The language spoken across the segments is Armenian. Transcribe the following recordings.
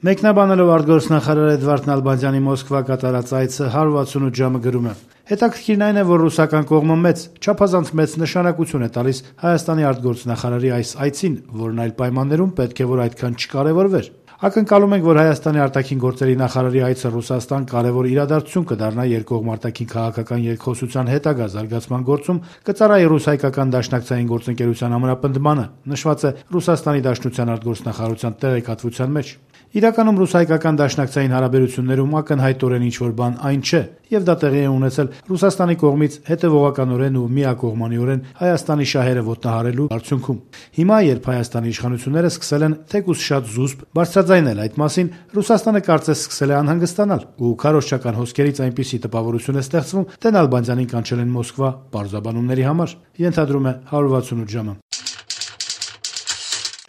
Մեկնաբանելով արտգործնախարար Էդվարդ Նալբանդյանի Մոսկվա կատարած այցը 168 ժամը գրում է. հետաքրքիրն այն է, որ ռուսական կողմը չափազանց մեծ նշանակություն է տալիս Հայաստանի արտգործնախարարի այս այցին, որն այլ պայմաններում պետք է որ այդքան չկարևորվեր։ Ակնկալում ենք, որ Հայաստանի արտաքին գործերի նախարարի այցը Ռուսաստան կարևոր իրադարձություն կդառնա երկկողմ արտաքին քաղաքական երկխոսության հետագա զարգացման գործում, կծառայի ռուս-հայկական դաշնակցային գործընկերության ամրապնդմանը, նշված է Ռուսաստանի Դաշնության արտգործնախարարության տեղեկատվության մեջ։ Իրականում ռուս-հայկական դաշնակցային հարաբերություններում ակնհայտորեն ինչ-որ բան այն չէ, եւ դա տեղի է ունեցել Ռուսաստանի կողմից հետեւողականորեն ու միակողմանիորեն Հայաստանի շահերը ոտնահարելու արդյունքում։ Հիմա, երբ Հայաստանի իշխանությունները սկսել են թեկուզ շատ զուսպ բարձրաձայնել այդ մասին, Ռուսաստանը կարծես սկսել է անհանգստանալ ու քարոզչական հոսքերից այնպիսի տպավորություն է ստեղծվում, թե Նալբանդյանին կանչել են Մոսկվա պարզաբանումների համար, ենթադրում է 168 ժամը։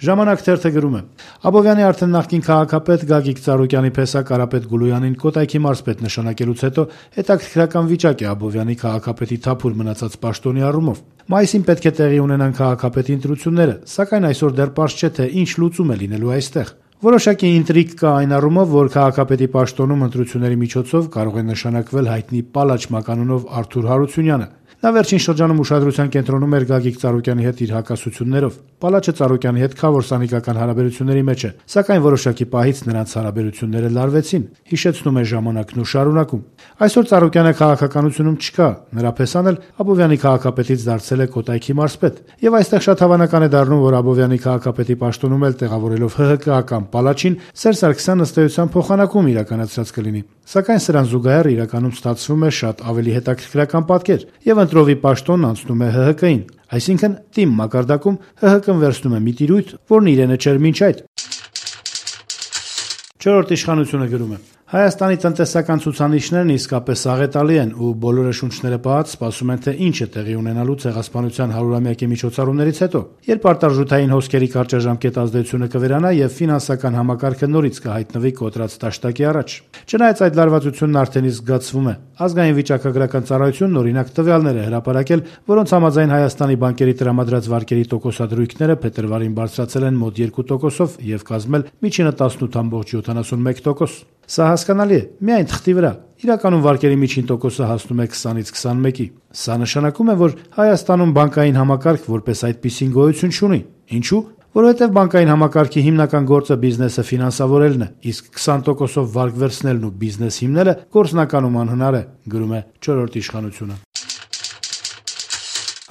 Ժամանակ թերթը գրում է. Աբովյանի արդեն նախկին քաղաքապետ Գագիկ Ծառուկյանի փեսա Կարապետ Գուլույանին կոտայքի մարզպետ նշանակելուց հետո հետաքրքրական վիճակ է Աբովյանի քաղաքապետի թափուր մնացած պաշտոնի առումով։ Մայիսին պետք է տեղի ունենան քաղաքապետի ընտրությունները, սակայն այսօր դեռ պարզ չէ, թե ինչ լուծում է լինելու այստեղ։ Որոշակի ինտրիգ կա այն առումով, որ քաղաքապետի պաշտոնում ընտրությունների միջոցով կարող է նշանակվել հայտնի Պալաչ մականունով Արթուր Հարությունյանը։ Նա վերջին շրջանում ուշադրության կենտրոնում էր Գագիկ Ծառուկյանի հետ իր հակասություններով։ Պալաչը Ծառուկյանի հետ քավոր-սանիկական հարաբերությունների մեջ է, սակայն որոշակի պահից նրանց հարաբերությունները լարվեցին, հիշեցնում է ժամանակն ու շարունակում։ Այսօր Ծառուկյանը քաղաքականությունում չկա, նրա փեսան էլ Աբովյանի քաղաքապետից դարձել է կոտայքի մարզպետ, եւ այստեղ շատ հավանական է դառնում, որ Աբովյանի քաղաքապետի պաշտոնում էլ տեղավորելով ՀՀԿ-ական Պալաչին Սերժ Սարգսյանը ըստ էության փոխանակում իրականացրած կլինի։ Սակայն սրան զուգահեռ իրականում ստացվում է շատ ավելի հետաքրքրական պատկեր, եւ ընտրովի պաշտոնն անցնում է ՀՀԿ-ին, այսինքն թիմ մակարդակում ՀՀԿ-ն վերցնում է մի տիրույթ, որն իրենը չէր մինչ այդ։ Չորրորդ իշխանությունը գրում է. Հայաստանի տնտեսական ցուցանիշներն իսկապես աղետալի են ու բոլորը շունչները պահած սպասում են, թե ինչ է տեղի ունենալու ցեղասպանության 100-ամյակի միջոցառումներից հետո, երբ արտարժութային հոսքերի կարճաժամկետ ազդեցությունը կվերանա եւ ֆինանսական համակարգը նորից կհայտնվի կոտրած տաշտակի առաջ։ Չնայած այդ լարվածությունն արդեն իսկ զգացվում է, ազգային վիճակագրական ծառայությունն օրինակ տվյալներ է հրապարակել, որոնց համաձայն Հայաստանի բանկերի տրամադրած վարկերի տոկոսադրույքները փետրվարին բարձրացել են մոտ 2%-ով եւ կազմել միջինը 18.71%։ Սա հասկանալի է, միայն թղթի վրա։ Իրականում վարկերի միջին տոկոսը հասնում է 20-ից 21-ի։ Սա նշանակում է, որ Հայաստանում բանկային համակարգ որպես այդպիսին գոյություն չունի։ Ինչու՞։ Որովհետև բանկային համակարգի հիմնական գործը բիզնեսը ֆինանսավորելն է, իսկ 20%-ով վարկ վերցնելն ու բիզնես հիմնելը գործնականում անհնար է, գրում է չորրորդ իշխանությունը։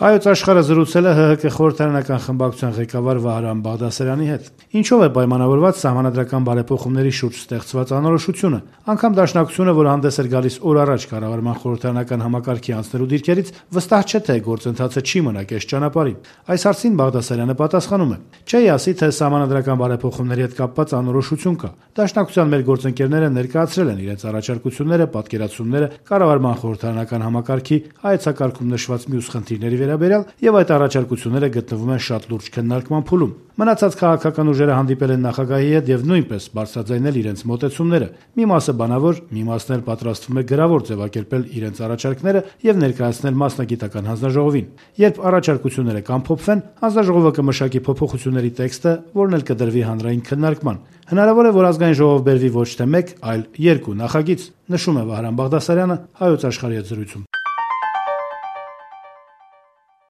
Հայոց աշխարհը զրուցել է ՀՀԿ խորհրդարանական խմբակցության ղեկավար Վահրամ Բաղդասարյանի հետ։ Ինչով է պայմանավորված սահմանադրական բարեփոխումների շուրջ ստեղծված անորոշությունը։ Անգամ Դաշնակցությունը, որ հանդես էր գալիս օր առաջ կառավարման խորհրդարանական համակարգի անցնելու դիրքերից, վստահ չէ, թե գործընթացը չի մնա կես ճանապարհին։ Այս հարցին Բաղդասարյանը պատասխանում է. Չէի ասի, թե սահմանադրական բարեփոխումների հետ կապված անորոշություն կա։ Դաշնակցության մեր գործընկերները ներկայացրել են իրենց առաջարկությունները, պատկերացումները կառավարման խորհրդարանական համակարգի հայեցակարգում նշված մյուս խնդիրների վերաբերյալ եւ այդ առաջարկությունները գտնվում են շատ լուրջ քննարկման փուլում։ Մնացած քաղաքական ուժերը հանդիպել են նախագահի հետ եւ նույնպես բարձրաձայնել իրենց մոտեցումները։ Մի մասը բանավոր, մի մասն էլ պատրաստվում է գրավոր ձևակերպել իրենց առաջարկները եւ ներկայացնել մասնագիտական հանձնաժողովին։ Երբ առաջարկությունները կամփոփվեն, հանձնաժողովը կմշակի փոփոխությունների տեքստը, որն էլ կդրվի հանրային քննարկման։ Հնարավոր է, որ ազգային ժողով բերվի ոչ թե 1, այլ 2 նախագիծ, նշում է Վահրամ Բաղդասարյանը Հայոց աշխարհի հետ զրույցում։